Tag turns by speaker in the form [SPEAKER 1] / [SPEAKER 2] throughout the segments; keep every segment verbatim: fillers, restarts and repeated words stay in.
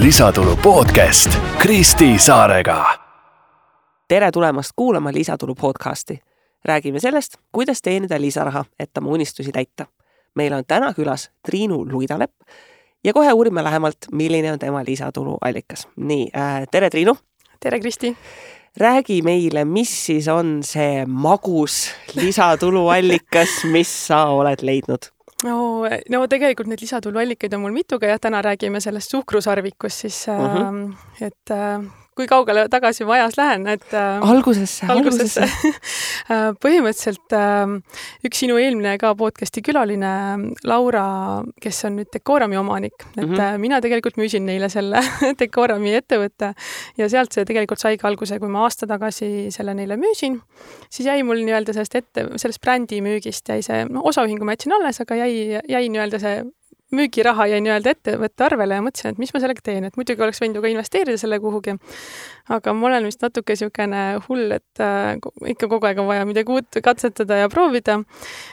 [SPEAKER 1] Lisatulu podcast Kristi Saarega.
[SPEAKER 2] Tere tulemast kuulama Lisatulu podcasti. Räägime sellest, kuidas teenida lisaraha, et oma unistusi täita. Meil on täna külas Triinu Luidalepp ja kohe uurime lähemalt, milline on tema lisatulu allikas. Nii, äh, tere Triinu!
[SPEAKER 3] Tere Kristi!
[SPEAKER 2] Räägi meile, mis siis on see magus lisatulu allikas, mis sa oled leidnud?
[SPEAKER 3] No, no tegelikult need lisatuluallikaid on mul mituga ja täna räägime sellest suhkrusarvikust, siis uh-huh. et kui kaugele tagasi ma ajas lähen, et
[SPEAKER 2] algusesse,
[SPEAKER 3] algusesse. Põhimõtteliselt üks sinu eelmine ka podcasti külaline Laura, kes on nüüd Decorami omanik, et uh-huh. mina tegelikult müüsin neile selle Decorami ettevõtte ja sealt see tegelikult saigi alguse, kui ma aasta tagasi selle neile müüsin, siis jäi mul nii-öelda sellest, ette, sellest brändi müügist jäi see, no osaühingu ma jätsin alles, aga jäi, jäi nii-öelda see müügiraha jäi nii-öelda ettevõtte arvele ja mõtlesin, et mis ma sellega teen, et muidugi oleks võinud ju ka investeerida selle kuhugi, aga ma olen vist natuke niisugune hull, et äh, ikka kogu aeg on vaja midagi uut katsetada ja proovida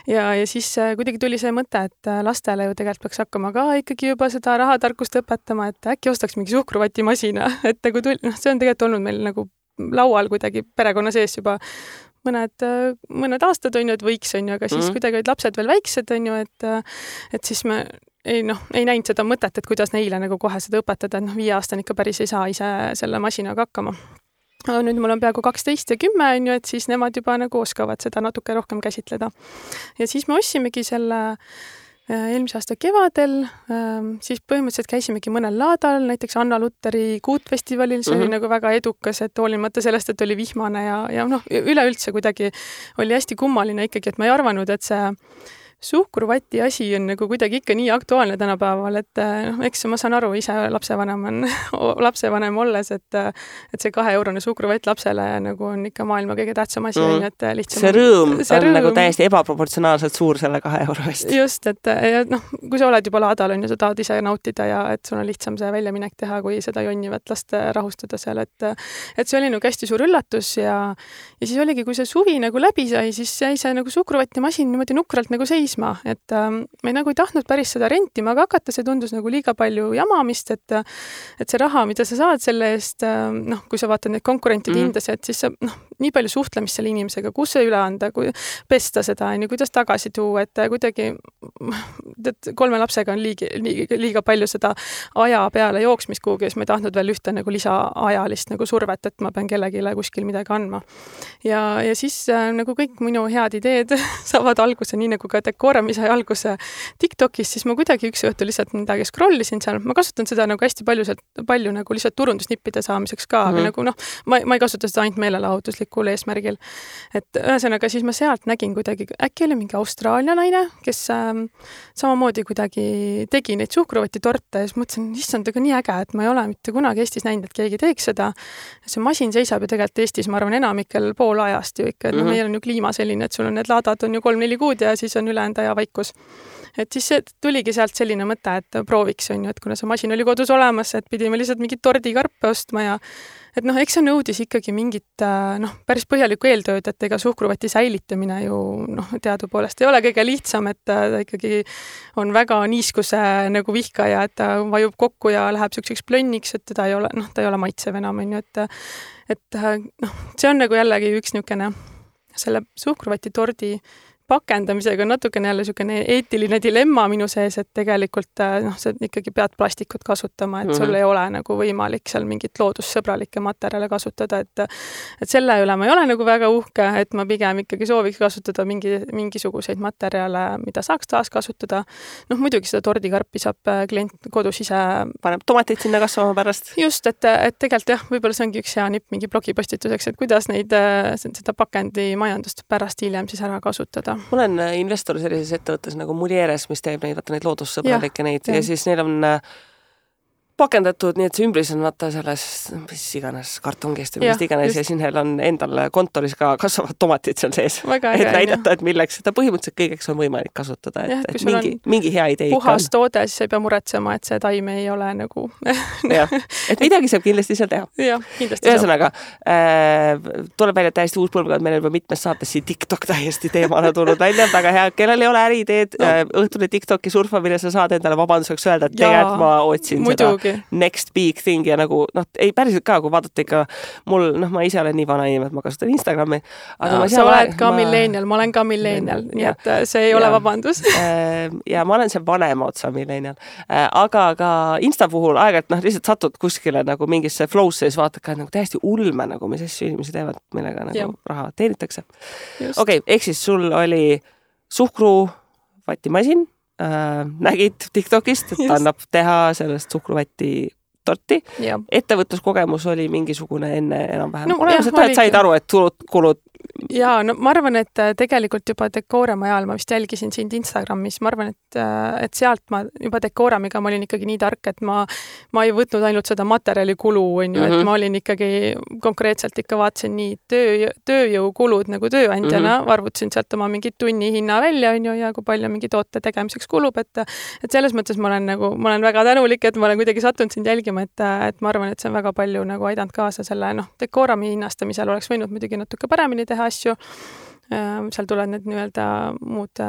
[SPEAKER 3] ja, ja siis äh, kuidagi tuli see mõte, et lastele ju tegelikult peaks hakkama ka ikkagi juba seda rahatarkust õpetama, et äkki ostaks mingi suhkruvatimasina, et kui tuli, noh, see on tegelikult olnud meil nagu laual kuidagi perekonna sees juba mõned, mõned aastad on ju, et võiks on ju, aga siis mm-hmm. kuidagi olid lapsed veel väiksed on ju, et, et siis me ei, noh, ei näinud seda mõtet, et kuidas neile nagu kohe seda õpetada, et noh, viie aastane ikka päris ei saa ise selle masinaga hakkama. Nüüd mul on peaaegu kaksteist ja kümme on ju, et siis nemad juba nagu oskavad seda natuke rohkem käsitleda. Ja siis me ossimegi selle eelmise aasta kevadel, siis põhimõtteliselt käisimegi mõnel laadal, näiteks Anna Lutteri kuutfestivalil, see mm-hmm. oli nagu väga edukas, et hoolimata sellest, et oli vihmane ja, ja noh, üleüldse kuidagi oli hästi kummaline ikkagi, et ma ei arvanud, et see suhkruvati asi on nagu kuidagi ikka nii aktuaalne tänapäeval, et noh, eks ma saan aru, ise lapsevanem on lapsevanem olles, et, et see kahe eurone suhkruvett lapsele nagu on ikka maailma kõige tähtsam asi, mm. et lihtsam.
[SPEAKER 2] See rõõm see on rõõm. Nagu täiesti ebaproportsionaalselt suur selle kahe euro eest.
[SPEAKER 3] Just, et ja, noh, kui sa oled juba laadal, on ju, sa tahad ise nautida ja et sul on lihtsam see väljaminek teha, kui seda jonnivat last rahustada seal, et, et see oli nagu hästi suur üllatus ja, ja siis oligi, kui see suvi nagu läbi sai, siis jäi see nagu suhkruvati masin niimoodi nukralt nagu seis et äh, me nagu ei tahtnud päris seda rentima, aga hakata see tundus nagu liiga palju jamamist, et, et see raha, mida sa saad selle eest, äh, noh, kui sa vaatad neid konkurentide mm. hindas, et siis sa, noh, nii palju suhtlemist selle inimesega, kus see üle anda, kui pesta seda, on ju, kuidas tagasi tuua, et kuidagi et kolme lapsega on liigi, liiga, liiga palju seda aja peale jooksmist kuhugi, siis ma ei tahtnud veel ühte nagu lisaajalist nagu survet, et ma pean kellegile kuskil midagi andma. Ja, ja siis äh, nagu kõik minu head ideed saavad alguse, nii nagu ka Decorami sai alguse TikTokis, siis ma kuidagi üks õhtu lihtsalt midagi scrollisin seal. Ma kasutan seda nagu hästi palju, palju nagu lihtsalt turundusnippide saamiseks ka, mm-hmm. aga nagu noh, ma, ma ei kasuta seda ainult meelelahutuslikul eesmärgil. Et ühesõnaga siis ma sealt nägin kuidagi, äkki oli mingi Austraalia naine, kes ähm, samamoodi kuidagi tegi neid suhkruvatitorte ja siis mõtlesin, issand, aga nii äge, et ma ei ole mitte kunagi Eestis näinud, et keegi teeks seda. See masin seisab ju tegelikult Eestis, ma arvan, enamikel pool ajast ju ikka, et mm-hmm. no, meil on ju kliima selline, et sul on need laadad on ju kolm-neli kuud ja siis on üle enda ja vaikus. Et siis see tuligi sealt selline mõte, et prooviks on ju, et kuna see masin oli kodus olemas, et pidime lihtsalt mingit tordikarpe ostma ja et noh, eks see nõudis ikkagi mingit noh, päris põhjalikku eeltööd, et ega suhkruvati säilitamine ju noh, teadupoolest ei ole kõige lihtsam, et ta ikkagi on väga niiskuse nagu vihkaja, et ta vajub kokku ja läheb selliseks plönniks, et teda ei ole, noh, ta ei ole maitsev enam, on ju, et, et noh, see on nagu jällegi üks niisugune selle suhkruvati tordi pakendamisega on natukene jälle niisugune eetiline dilemma minu sees, et tegelikult noh, sa ikkagi pead plastikut kasutama, et sul mm-hmm. ei ole nagu võimalik seal mingit loodussõbralikke materjale kasutada, et, et selle üle ma ei ole nagu väga uhke, et ma pigem ikkagi sooviks kasutada mingi, mingisuguseid materjale, mida saaks taas kasutada. Noh, muidugi seda tordikarpi saab klient kodus ise
[SPEAKER 2] paneb tomatid sinna kasvama pärast.
[SPEAKER 3] Just, et, et tegelikult jah, võib-olla see ongi üks hea nipp mingi blogipostituseks, et kuidas neid, seda pakendi majandust pärast hiljem siis ära kasutada.
[SPEAKER 2] Mul on investor sellises ettevõttes nagu Mulieres, mis teeb neid, vaata neid loodussõbralikke neid ja, ja siis neil on pakendatud, nii et see ümbris on vaata selles, mis iganes kartongist või mis iganes ja siin neil on endal kontoris ka kasvavad tomatid seal sees. Väga et näidata, et milleks seda põhimõtteliselt kõigeks on võimalik kasutada, et, ja, et mingi, mingi hea idee
[SPEAKER 3] puhas toode, siis ei pea muretsema, et see taime ei ole nagu
[SPEAKER 2] jah, et midagi saab kindlasti seal teha.
[SPEAKER 3] Jah, kindlasti
[SPEAKER 2] ühesõnaga, äh, tuleb välja täiesti uus põlvkond, meil on juba mitmes saates siin TikTok täiesti teemana tulnud välja, väga hea, kellel ei ole äriideed no. äh, õhtune TikToki surfamine, sa saad endale vabanduseks öelda, et tegelikult ma otsin
[SPEAKER 3] muidugi.
[SPEAKER 2] next big thing ja nagu noh, ei päriselt ka, kui vaadata ikka mul, noh, ma ise olen nii vana inimene, et ma kasutan Instagrami.
[SPEAKER 3] Aga no, sa oled ka ma... millennial, ma olen ka millennial, nii et see ei ja. ole vabandus.
[SPEAKER 2] ja ma olen see vanema otsa millennial. Aga ka Insta puhul aeg-ajalt noh, lihtsalt satud kuskile nagu mingisse flow'sse ja siis vaatad ka nagu täiesti ulme, nagu mis asju inimesi teevad, millega nagu ja. raha teenitakse. Okei, okay, ehk siis sul oli suhkruvatimasin, äh, nägid TikTokist, et ta annab teha sellest suhkruvati torti. Ja. Ettevõtluskogemus oli mingisugune enne enam-vähem. No, jah, et said aru, et tulud, kulud.
[SPEAKER 3] Ja, no ma arvan, et tegelikult juba Decorami ajal ma vist jälgisin sind Instagramis, ma arvan, et, et sealt ma juba Decoramiga ma olin ikkagi nii tark, et ma, ma ei võtnud ainult seda materjali kulu, on ju, mm -hmm. et ma olin ikkagi konkreetselt ikka vaatasin nii töö, tööjõukulud nagu tööandjana, mm -hmm. arvutasin sealt oma mingi tunni hinna välja, on ju, ja kui palju mingi toote tegemiseks kulub, et, et selles mõttes ma olen nagu, ma olen väga tänulik, et ma olen kuidagi sattunud sind jälgima, et, et ma arvan, et see on väga palju nagu aidanud kaasa selle, noh, Decorami hinnastamisel oleks võinud muidugi natuke paremini teha asju. Seal tulevad need nii-öelda muud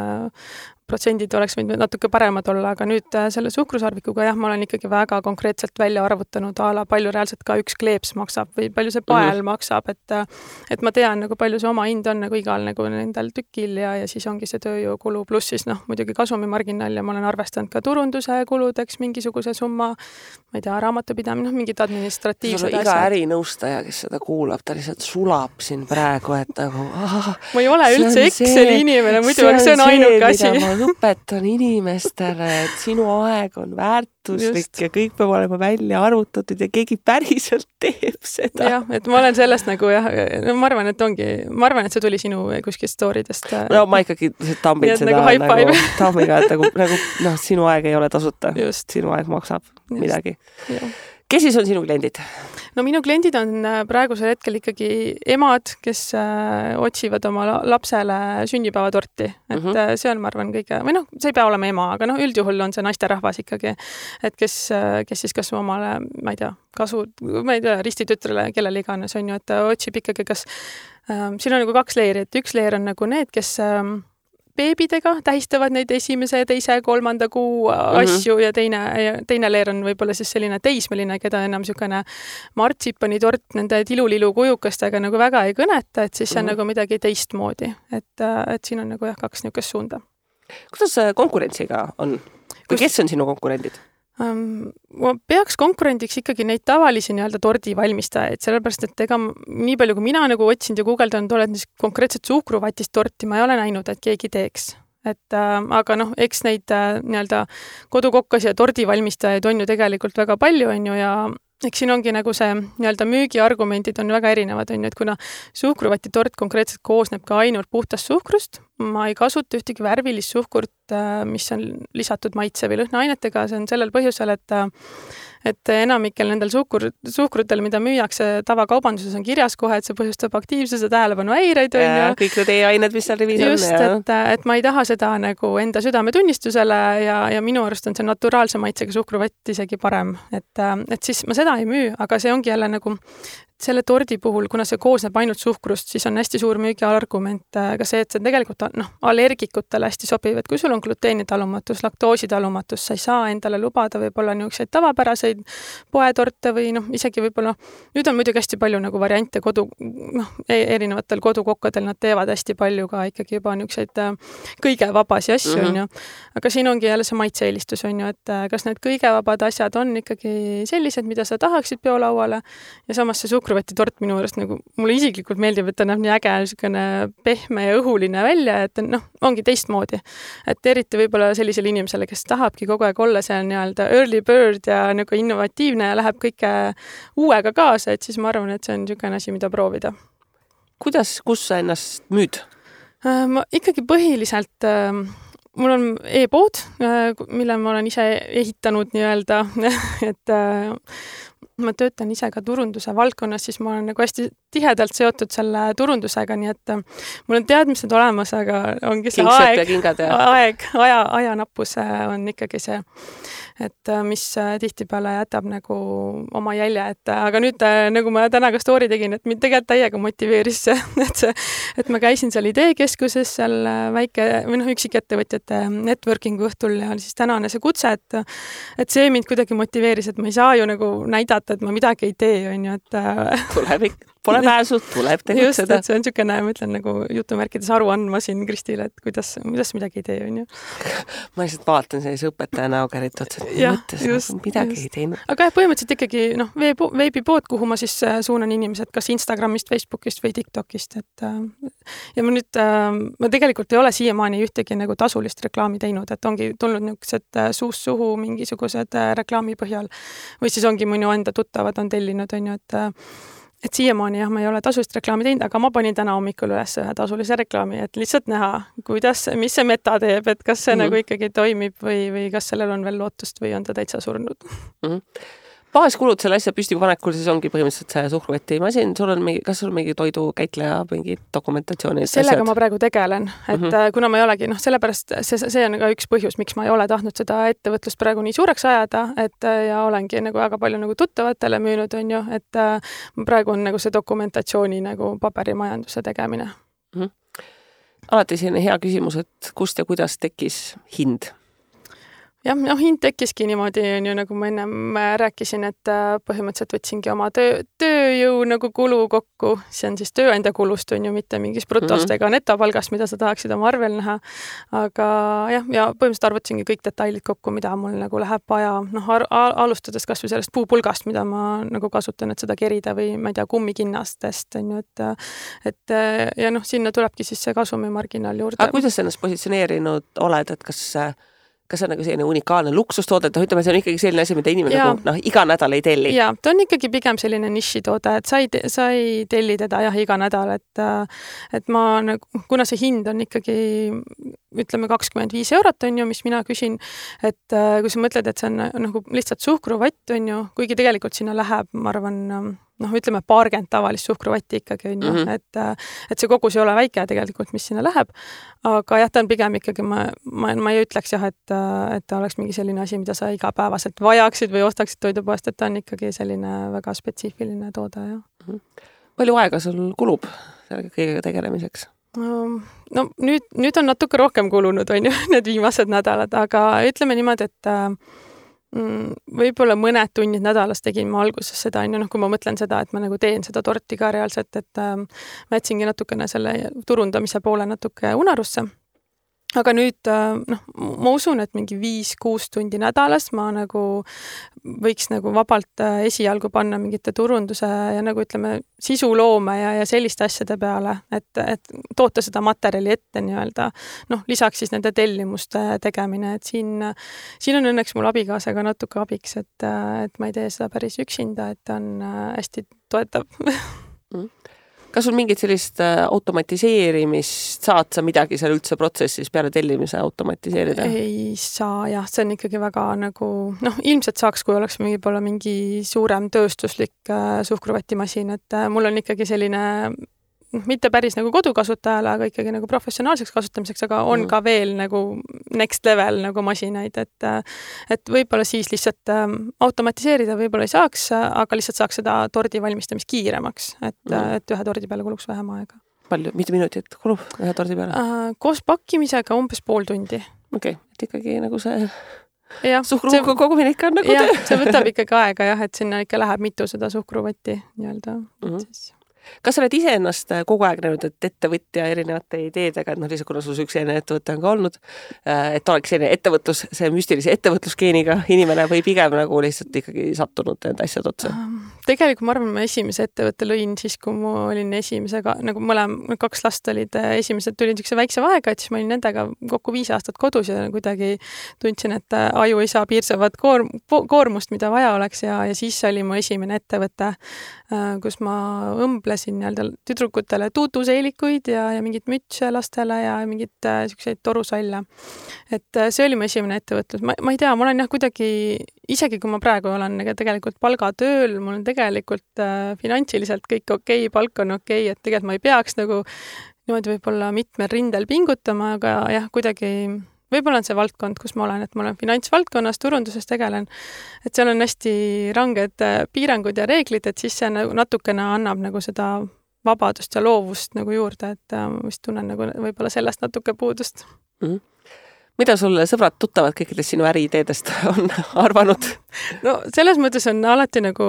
[SPEAKER 3] protsendid oleks võinud natuke paremad olla, aga nüüd selle suhkrusarvikuga jah, ma olen ikkagi väga konkreetselt välja arvutanud ala, palju reaalselt ka üks kleeps maksab või palju see pael mm -hmm. maksab, et, et ma tean nagu palju see oma hind on nagu igal nagu nendel tükil ja, ja siis ongi see tööjõukulu pluss siis noh, muidugi kasumimarginaal ja ma olen arvestanud ka turunduse kuludeks mingisuguse summa, ma ei tea, raamatupidamine, noh, mingid administratiivsed
[SPEAKER 2] asjad. Iga ärinõustaja, kes seda kuulab, ta lihtsalt sulab siin praegu, et nagu ah,
[SPEAKER 3] ma ei ole üldse Exceli inimene, muidu see on, see on ainuke asi.
[SPEAKER 2] Õpetan inimestele, et sinu aeg on väärtuslik Just. ja kõik peab olema välja arvutatud ja keegi päriselt teeb seda.
[SPEAKER 3] Jah, et ma olen sellest nagu jah, no ma arvan, et ongi, ma arvan, et see tuli sinu kuskil story'dest.
[SPEAKER 2] No ma ikkagi tambin seda
[SPEAKER 3] nagu, nagu
[SPEAKER 2] tammiga, et nagu, nagu noh, sinu aeg ei ole tasuta. Just. Sinu aeg maksab Just. midagi. Ja. Kes siis on sinu kliendid?
[SPEAKER 3] No minu kliendid on praegusel hetkel ikkagi emad, kes äh, otsivad oma lapsele sünnipäevatorti. Et mm -hmm. see on, ma arvan, kõige, või noh, see ei pea olema ema, aga noh, üldjuhul on see naisterahvas ikkagi, et kes, kes siis kas omale, ma ei tea, kasu, ma ei tea, ristitütrele, kellele iganes on ju, et otsib ikkagi, kas äh, siin on nagu kaks leeri, et üks leer on nagu need, kes äh, beebidega tähistavad neid esimese, teise, kolmanda kuu asju mm -hmm. ja teine, teine leer on võib-olla siis selline teismeline, keda enam niisugune martsipani tort nende tilulilu kujukastega nagu väga ei kõneta, et siis see on mm -hmm. nagu midagi teistmoodi. Et, et siin on nagu jah, kaks niisugust suunda.
[SPEAKER 2] Kuidas konkurentsiga on? Või kes on sinu konkurendid?
[SPEAKER 3] Um, ma peaks konkurendiks ikkagi neid tavalisi nii-öelda tordivalmistajaid, sellepärast, et ega nii palju, kui mina nagu otsinud ja guugeldanud olen, siis konkreetselt suhkruvatist torti ma ei ole näinud, et keegi teeks. Et, äh, aga noh, eks neid äh, nii-öelda kodukokkas ja tordivalmistajaid on ju tegelikult väga palju, on ju, ja eks siin ongi nagu see nii-öelda müügiargumendid on väga erinevad, on ju, et kuna suhkruvati tort konkreetselt koosneb ka ainult puhtast suhkrust, ma ei kasuta ühtegi värvilist suhkurt, mis on lisatud maitse või lõhnaainetega, see on sellel põhjusel, et et enamikel nendel suhkur, suhkrutel, mida müüakse tavakaubanduses, on kirjas kohe, et see põhjustab aktiivsuse tähelepanu häireid.
[SPEAKER 2] Ja kõik need e-ained, mis seal rivis on.
[SPEAKER 3] Just, et, et ma ei taha seda nagu enda südametunnistusele ja, ja minu arust on see naturaalse maitsega suhkruvett isegi parem. Et, et siis ma seda ei müü, aga see ongi jälle nagu selle tordi puhul, kuna see koosneb ainult suhkrust, siis on hästi suur müügiargument ka see, et see on tegelikult noh, allergikutele hästi sobiv, et kui sul on gluteenitalumatus, laktoositalumatus, sa ei saa endale lubada võib-olla niisuguseid tavapäraseid poetorte või noh, isegi võib-olla, nüüd on muidugi hästi palju nagu variante kodu, noh, erinevatel kodukokkadel nad teevad hästi palju ka ikkagi juba niisuguseid kõige vabasi asju, mm-hmm. on ju. Aga siin ongi jälle see maitseelistus, on ju, et kas need kõige vabad asjad on ikkagi sellised, mida sa tahaksid peolauale ja samas see suhkru tort minu juurest nagu, mulle isiklikult meeldib, et ta näeb nii äge, niisugune pehme ja õhuline välja, et noh, ongi teistmoodi. Et eriti võib-olla sellisele inimesele, kes tahabki kogu aeg olla see nii-öelda early bird ja nagu innovatiivne ja läheb kõike uuega kaasa, et siis ma arvan, et see on niisugune asi, mida proovida.
[SPEAKER 2] Kuidas, kus sa ennast müüd?
[SPEAKER 3] Ma ikkagi põhiliselt mul on e-pood, mille ma olen ise ehitanud nii-öelda, et ma töötan ise ka turunduse valdkonnas, siis ma olen nagu hästi tihedalt seotud selle turundusega, nii et mul on teadmised olemas, aga ongi see
[SPEAKER 2] Kingsed
[SPEAKER 3] aeg,
[SPEAKER 2] ja kingad ja...
[SPEAKER 3] aeg, aja, ajanappus on ikkagi see, et mis tihtipeale jätab nagu oma jälje, et aga nüüd nagu ma täna ka story tegin, et mind tegelikult täiega motiveeris see, et see, et ma käisin seal ideekeskuses, seal väike või noh, üksikettevõtjate networkingu õhtul ja siis tänane see kutse, et et see mind kuidagi motiveeris, et ma ei saa ju nagu näidata, et ma midagi ei tee, on ju, et
[SPEAKER 2] tuleb ikka, pole pääsu, tuleb tegutseda.
[SPEAKER 3] Just, et see on niisugune, ma ütlen nagu jutumärkides aru andma siin Kristile, et kuidas, kuidas midagi ei tee, on ju.
[SPEAKER 2] Ma lihtsalt vaatan sellise õpetaja näoga eriti otsa, et
[SPEAKER 3] ja,
[SPEAKER 2] mõttes
[SPEAKER 3] just,
[SPEAKER 2] midagi
[SPEAKER 3] just.
[SPEAKER 2] ei teinud.
[SPEAKER 3] Aga jah, põhimõtteliselt ikkagi noh, veebipood, kuhu ma siis suunan inimesed kas Instagramist, Facebookist või TikTokist, et ja ma nüüd, ma tegelikult ei ole siiamaani ühtegi nagu tasulist reklaami teinud, et ongi tulnud niisugused suust suhu mingisugused reklaami põhjal või siis ongi minu enda tuttavad on tellinud, on ju, et et siiamaani jah, ma ei ole tasulist reklaami teinud, aga ma panin täna hommikul üles ühe tasulise reklaami, et lihtsalt näha, kuidas, mis see meta teeb, et kas see mm-hmm. nagu ikkagi toimib või, või kas sellel on veel lootust või on ta täitsa surnud.
[SPEAKER 2] Mm-hmm. Baaskulud selle asja püstipanekul siis ongi põhimõtteliselt see suhkruvõti masin, sul on mingi, kas sul on mingi toidukäitleja, mingi dokumentatsiooni?
[SPEAKER 3] Sellega asjad? Ma praegu tegelen, et mm-hmm. kuna ma ei olegi, noh, sellepärast see, see on ka üks põhjus, miks ma ei ole tahtnud seda ettevõtlust praegu nii suureks ajada, et ja olengi nagu väga palju nagu tuttavatele müünud, on ju, et praegu on nagu see dokumentatsiooni nagu paberimajanduse tegemine.
[SPEAKER 2] Mm-hmm. Alati selline hea küsimus, et kust ja kuidas tekkis hind?
[SPEAKER 3] Jah, noh, hind tekkiski niimoodi, on ju, nagu ma ennem rääkisin, et põhimõtteliselt võtsingi oma töö, tööjõu nagu kulu kokku, see on siis tööandja kulust, on ju, mitte mingis brutost ega netopalgast, mida sa tahaksid oma arvel näha. Aga jah, ja põhimõtteliselt arvutasingi kõik detailid kokku, mida mul nagu läheb vaja, noh, alustades kas või sellest puupulgast, mida ma nagu kasutan, et seda kerida või ma ei tea, kummikinnastest, on ju, et, et ja noh, sinna tulebki siis see kasumimarginaal juurde.
[SPEAKER 2] Aga kuidas sa ennast positsioneerinud oled, et kas kas see on nagu selline unikaalne luksustoode, et ütleme, see on ikkagi selline asi, mida inimene nagu, noh, iga nädal ei telli.
[SPEAKER 3] Jaa, ta on ikkagi pigem selline nišitoode, et sa ei, sa ei telli teda jah iga nädal, et, et ma nagu, kuna see hind on ikkagi ütleme kakskümmend viis eurot on ju, mis mina küsin, et kui sa mõtled, et see on nagu lihtsalt suhkruvott on ju, kuigi tegelikult sinna läheb, ma arvan, noh, ütleme paarkümmend tavalist suhkruvatti ikkagi on ju, mm -hmm. et, et see kogus ei ole väike tegelikult, mis sinna läheb, aga jah, ta on pigem ikkagi, ma, ma, ma ei ütleks jah, et, et ta oleks mingi selline asi, mida sa igapäevaselt vajaksid või ostaksid toidupoest, et ta on ikkagi selline väga spetsiifiline toode, jah.
[SPEAKER 2] Mm -hmm. Palju aega sul kulub selle kõigega tegelemiseks?
[SPEAKER 3] No, no nüüd, nüüd on natuke rohkem kulunud, on ju, need viimased nädalad, aga ütleme niimoodi, et mm, võib-olla mõned tunnid nädalas tegin ma alguses seda, on ju, noh, kui ma mõtlen seda, et ma nagu teen seda torti ka reaalselt, et äh, ma jätsingi natukene selle turundamise poole natuke unarusse. Aga nüüd, noh, ma usun, et mingi viis-kuus tundi nädalas ma nagu võiks nagu vabalt esialgu panna mingite turunduse ja nagu ütleme sisuloome ja, ja selliste asjade peale, et, et toota seda materjali ette nii-öelda. Noh, lisaks siis nende tellimuste tegemine, et siin, siin on õnneks mul abikaasaga natuke abiks, et, et ma ei tee seda päris üksinda, et ta on hästi toetav.
[SPEAKER 2] Mm. Kas sul mingit sellist automatiseerimist, saad sa midagi seal üldse protsessis peale tellimise automatiseerida?
[SPEAKER 3] Ei saa, jah, see on ikkagi väga nagu, noh, ilmselt saaks, kui oleks mingi, poole mingi suurem tööstuslik suhkruvatimasin, et mul on ikkagi selline, mitte päris nagu kodukasutajale, aga ikkagi nagu professionaalseks kasutamiseks, aga on mm. ka veel nagu next level nagu masinaid, et, et võib-olla siis lihtsalt automatiseerida võib-olla ei saaks, aga lihtsalt saaks seda tordi valmistamist kiiremaks, et, mm. et ühe tordi peale kuluks vähem aega.
[SPEAKER 2] Palju, mitu minutit kulub ühe tordi peale?
[SPEAKER 3] Äh, koos pakkimisega umbes pool tundi.
[SPEAKER 2] Okei, okay. Et ikkagi nagu see
[SPEAKER 3] ja,
[SPEAKER 2] suhkruga kogumine ikka on nagu
[SPEAKER 3] ja,
[SPEAKER 2] töö.
[SPEAKER 3] See võtab ikkagi aega jah, et sinna ikka läheb mitu seda suhkruvatti nii-öelda. Mm -hmm. siis
[SPEAKER 2] kas sa oled ise ennast kogu aeg näinud, et ettevõtja erinevate ideedega, et noh, lihtsalt kuna sul üks enne ettevõte on ka olnud, et oleks selline ettevõtlus, see müstilise ettevõtlusgeeniga inimene või pigem nagu lihtsalt ikkagi sattunud need asjad otsa?
[SPEAKER 3] Tegelikult ma arvan, ma esimese ettevõtte lõin siis, kui ma olin esimesega, nagu mõlem, kaks last olid esimesed, tulid niisuguse väikse vahega, et siis ma olin nendega kokku viis aastat kodus ja kuidagi tundsin, et aju ei saa piirsavat koor, koormust, mida vaja oleks ja, ja siis oli mu esimene ettevõte, kus ma õmblesin nii-öelda tüdrukutele tuutuseelikuid ja, ja mingit mütse lastele ja mingit äh, selliseid torusalle. Et äh, see oli mu esimene ettevõtlus. Ma, ma ei tea, ma olen jah kuidagi isegi kui ma praegu olen tegelikult palgatööl, mul on tegelikult äh, finantsiliselt kõik okei, palk on okei, et tegelikult ma ei peaks nagu niimoodi võib-olla mitmel rindel pingutama, aga jah, kuidagi võib-olla on see valdkond, kus ma olen, et ma olen finantsvaldkonnas, turunduses tegelen, et seal on hästi ranged piirangud ja reeglid, et siis see nagu natukene annab nagu seda vabadust ja loovust nagu juurde, et äh, ma vist tunnen nagu võib-olla sellest natuke puudust.
[SPEAKER 2] Mm-hmm. Mida sulle sõbrad tuttavad kõikidest sinu äriideedest on arvanud?
[SPEAKER 3] No selles mõttes on alati nagu,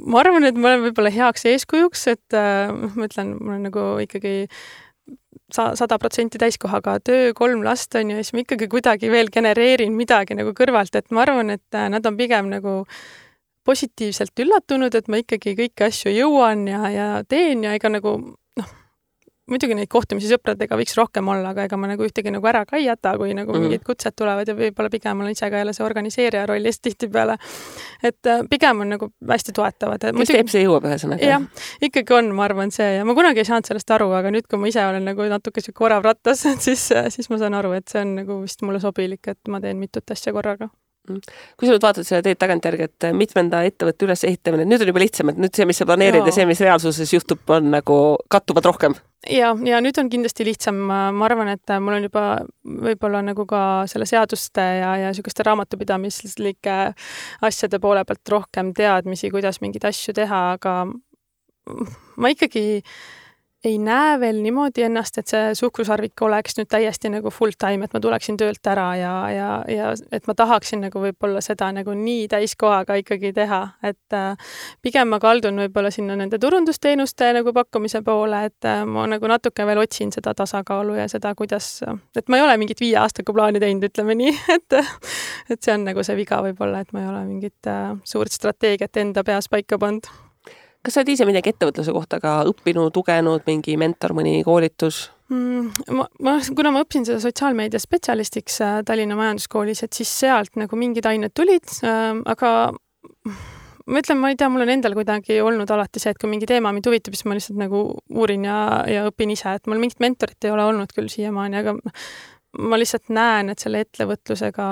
[SPEAKER 3] ma arvan, et ma olen võib-olla heaks eeskujuks, et äh, ma ütlen, mul on nagu ikkagi sada protsenti täiskohaga töö, kolm last on ju, ja siis ma ikkagi kuidagi veel genereerin midagi nagu kõrvalt, et ma arvan, et nad on pigem nagu positiivselt üllatunud, et ma ikkagi kõiki asju jõuan ja, ja teen ja ega nagu noh, muidugi neid kohtumisi sõpradega võiks rohkem olla, aga ega ma nagu ühtegi nagu ära ka ei jäta, kui nagu mm-hmm. mingid kutsed tulevad ja võib-olla pigem olen ise ka jälle see organiseerija rollis tihtipeale. Et pigem on nagu hästi toetavad.
[SPEAKER 2] Kes muidugi, teeb see jõuab ühesõnaga?
[SPEAKER 3] Jah, ikkagi on, ma arvan, see ja ma kunagi ei saanud sellest aru, aga nüüd, kui ma ise olen nagu natuke siuke orav rattas, siis, siis ma saan aru, et see on nagu vist mulle sobilik, et ma teen mitut asja korraga.
[SPEAKER 2] Kui sa nüüd vaatad selle teed tagantjärgi, et mitmenda ettevõtte üles ehitamine, nüüd on juba lihtsam, et nüüd see, mis sa planeerid ja, ja see, mis reaalsuses juhtub, on nagu kattuvad rohkem.
[SPEAKER 3] Ja, ja nüüd on kindlasti lihtsam. Ma arvan, et mul on juba võib-olla nagu ka selle seaduste ja, ja selliseste raamatupidamislike asjade poole pealt rohkem teadmisi, kuidas mingeid asju teha, aga ma ikkagi ei näe veel niimoodi ennast, et see suhkrusarvik oleks nüüd täiesti nagu full time, et ma tuleksin töölt ära ja, ja, ja et ma tahaksin nagu võib-olla seda nagu nii täiskohaga ikkagi teha, et äh, pigem ma kaldun võib-olla sinna nende turundusteenuste nagu pakkumise poole, et äh, ma nagu natuke veel otsin seda tasakaalu ja seda, kuidas, et ma ei ole mingit viie aastaga plaani teinud, ütleme nii, et, et see on nagu see viga võib-olla, et ma ei ole mingit äh, suurt strateegiat enda peas paika pannud.
[SPEAKER 2] Kas sa oled ise midagi ettevõtluse kohta ka õppinud, tugenud, mingi mentor, mõni koolitus?
[SPEAKER 3] Mm, ma, ma, kuna ma õppisin seda sotsiaalmeedia spetsialistiks äh, Tallinna Majanduskoolis, et siis sealt nagu mingid ained tulid, äh, aga ma ütlen, ma ei tea, mul on endal kuidagi olnud alati see, et kui mingi teema mind huvitab, siis ma lihtsalt nagu uurin ja, ja õpin ise, et mul mingit mentorit ei ole olnud küll siiamaani, aga ma lihtsalt näen, et selle ettevõtlusega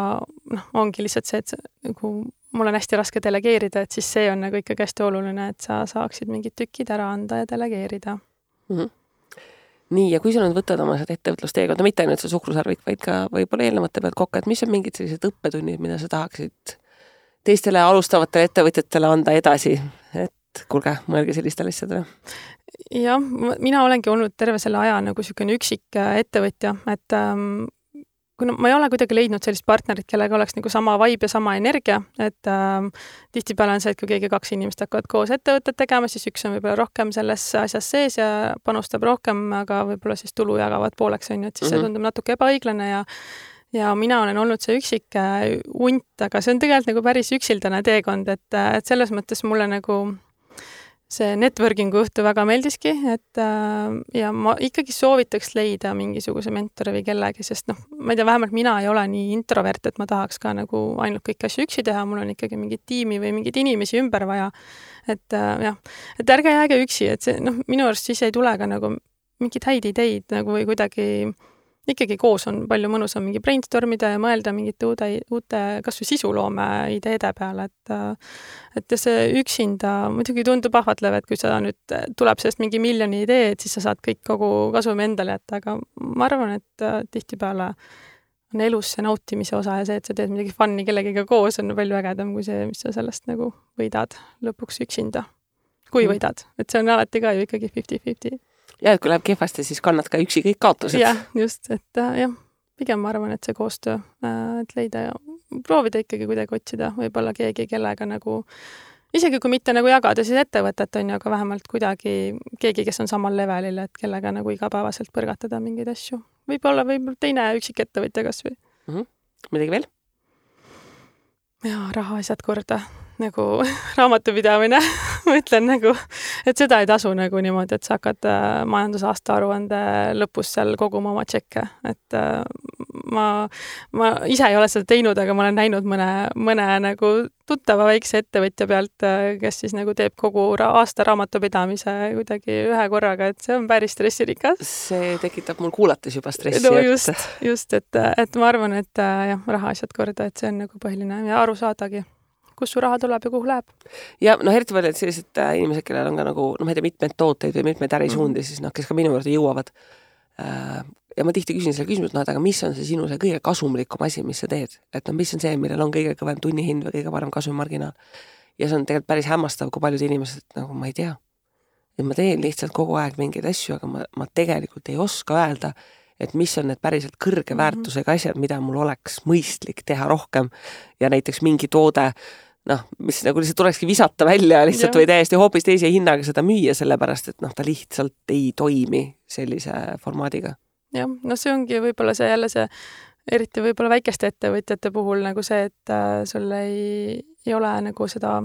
[SPEAKER 3] noh, ongi lihtsalt see, et see, nagu mul on hästi raske delegeerida, et siis see on nagu ikkagi hästi oluline, et sa saaksid mingid tükid ära anda ja delegeerida.
[SPEAKER 2] Mm-hmm. Nii, ja kui sa nüüd võtad oma ettevõtlusteekonda, mitte ainult see suhkrusarvik, vaid ka võib-olla eelnevate pealt kokku, et mis on mingid sellised õppetunnid, mida sa tahaksid teistele alustavatele ettevõtjatele anda edasi, et kuulge, mõelge sellistele asjadele?
[SPEAKER 3] Jah, mina olengi olnud terve selle aja nagu selline üksik ettevõtja, et ähm, kuna ma ei ole kuidagi leidnud sellist partnerit, kellega oleks nagu sama vibe ja sama energia, et äh, tihtipeale on see, et kui keegi kaks inimest hakkavad koos ettevõtted tegema, siis üks on võib-olla rohkem selles asjas sees ja panustab rohkem, aga võib-olla siis tulu jagavad pooleks, on ju, et siis see tundub natuke ebaõiglane ja ja mina olen olnud see üksik unt, aga see on tegelikult nagu päris üksildane teekond, et, et selles mõttes mulle nagu see networkingu õhtu väga meeldiski, et äh, ja ma ikkagi soovitaks leida mingisuguse mentori või kellegi, sest noh, ma ei tea, vähemalt mina ei ole nii introvert, et ma tahaks ka nagu ainult kõik asju üksi teha, mul on ikkagi mingit tiimi või mingeid inimesi ümber vaja. Et äh, jah, et ärge jääge üksi, et see, noh, minu arust siis ei tule ka nagu mingid häid ideid nagu või kuidagi ikkagi koos on palju mõnusam mingi brainstormida ja mõelda mingite uude, uute kas või sisuloome ideede peale, et et see üksinda muidugi tundub ahvatlev, et kui sa nüüd tuleb sellest mingi miljoni idee, et siis sa saad kõik kogu kasumi endale jätta, aga ma arvan, et tihtipeale on elus see nautimise osa ja see, et sa teed midagi fun'i kellegiga koos, on palju ägedam kui see, mis sa sellest nagu võidad lõpuks üksinda. Kui võidad, et see on alati ka ju ikkagi fifty fifty.
[SPEAKER 2] Ja, et kui läheb kehvasti, siis kannad ka üksi kõik kaotused.
[SPEAKER 3] Jah, just, et jah, pigem ma arvan, et see koostöö, et leida ja proovida ikkagi kuidagi otsida võib-olla keegi, kellega nagu, isegi kui mitte nagu jagada siis ettevõtet on ju, aga vähemalt kuidagi keegi, kes on samal levelil, et kellega nagu igapäevaselt põrgatada mingeid asju. Võib-olla võib-olla teine üksik ettevõtja kas või.
[SPEAKER 2] Mm-hmm. Midagi veel?
[SPEAKER 3] Ja, raha asjad korda. Nagu raamatupidamine, ma ütlen nagu, et seda ei tasu nagu niimoodi, et sa hakkad majandusaasta aruande lõpus seal koguma oma tšekke, et ma, ma ise ei ole seda teinud, aga ma olen näinud mõne, mõne nagu tuttava väikse ettevõtja pealt, kes siis nagu teeb kogu aasta raamatupidamise kuidagi ühe korraga, et see on päris stressirikas.
[SPEAKER 2] See tekitab mul kuulates juba stressi.
[SPEAKER 3] No just, just, et, et ma arvan, et jah, raha asjad korda, et see on nagu põhiline ja aru saadagi. kus su raha tuleb ja kuhu läheb.
[SPEAKER 2] Ja noh, eriti palju, et sellised inimesed, kellel on ka nagu, noh, ma ei tea, mitmed tooteid või mitmed ärisuundi, mm-hmm. siis noh, kes ka minu juurde jõuavad. Ja ma tihti küsin selle küsimus, no, et aga mis on see sinu see kõige kasumlikum asi, mis sa teed? Et no, mis on see, millel on kõige kõvem tunnihind või kõige parem kasumarginaal? Ja see on tegelikult päris hämmastav, kui paljud inimesed, nagu ma ei tea. Ja ma teen lihtsalt kogu aeg mingeid asju, aga ma, ma tegelikult ei oska öelda, et mis on need päriselt kõrge väärtusega asjad, mida mul oleks mõistlik teha rohkem. Ja näiteks mingi toode, noh, mis nagu lihtsalt tulekski visata välja lihtsalt ja. Või täiesti hoopis teise hinnaga seda müüa, sellepärast, et noh, ta lihtsalt ei toimi sellise formaadiga.
[SPEAKER 3] Jah, no see ongi võib-olla see jälle see, eriti võib-olla väikeste ettevõtjate puhul nagu see, et äh, sul ei, ei ole nagu seda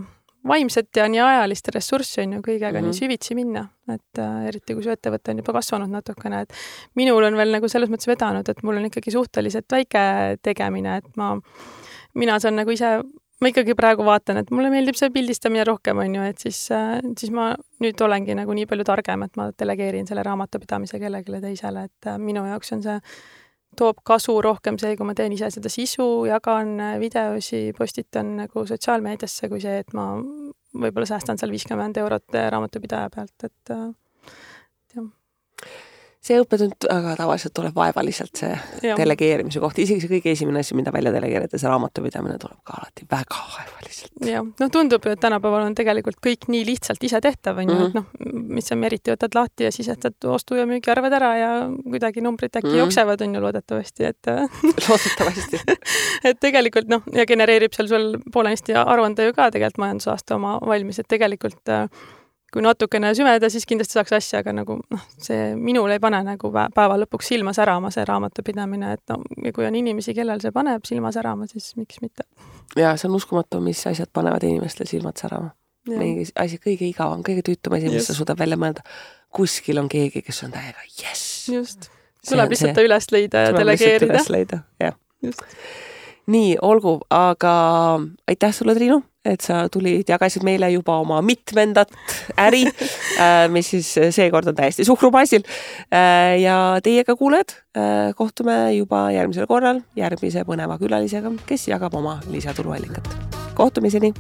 [SPEAKER 3] vaimset ja nii ajalist ressurssi on ju kõigega mm-hmm. nii süvitsi minna, et äh, eriti kui su ettevõte on juba kasvanud natukene, et minul on veel nagu selles mõttes vedanud, et mul on ikkagi suhteliselt väike tegemine, et ma, mina saan nagu ise ma ikkagi praegu vaatan, et mulle meeldib see pildistamine rohkem, on ju, et siis, siis ma nüüd olengi nagu nii palju targem, et ma delegeerin selle raamatupidamise kellegile teisele, et minu jaoks on see, toob kasu rohkem see, kui ma teen ise seda sisu, jagan videosi, postitan nagu sotsiaalmeediasse, kui see, et ma võib-olla säästan seal viiskümmend eurot raamatupidaja pealt, et jah.
[SPEAKER 2] See õppetund aga tavaliselt tuleb vaevaliselt see ja. Delegeerimise kohta. Isegi see kõige esimene asi, mida välja delegeerida, see raamatupidamine tuleb ka alati väga vaevaliselt.
[SPEAKER 3] Ja, no tundub ju, et tänapäeval on tegelikult kõik nii lihtsalt ise tehtav, on ju, mm-hmm. et noh, mis sa eriti võtad lahti ja sisestad ostu ja müügi arved ära ja kuidagi numbrid äkki mm-hmm. jooksevad, on ju loodetavasti, et
[SPEAKER 2] loodetavasti.
[SPEAKER 3] et tegelikult noh, ja genereerib seal sul poolenisti aruande ju ka tegelikult majandusaasta oma valmis, et tegelikult kui natukene süveda, siis kindlasti saaks asja, aga nagu noh, see minul ei pane nagu päeva lõpuks silma särama see raamatupidamine, et no, ja kui on inimesi, kellel see paneb silma särama, siis miks mitte.
[SPEAKER 2] Ja see on uskumatu, mis asjad panevad inimestel silmad särama. Mingi asi kõige igavam, kõige tüütuma asi, mis sa suudab välja mõelda. Kuskil on keegi, kes on täiega, yes!
[SPEAKER 3] Just. Tuleb lihtsalt ta üles leida ja delegeerida.
[SPEAKER 2] Tuleb lihtsalt üles leida, jah.
[SPEAKER 3] Just.
[SPEAKER 2] Nii, olgu, aga aitäh sulle, Triinu, et sa tulid, jagasid meile juba oma mitmendat äri, mis siis seekord on täiesti suhkrubaasil. Ja teiega kuuled, kohtume juba järgmisel korral järgmise põneva külalisega, kes jagab oma lisatuluallikat. Kohtumiseni!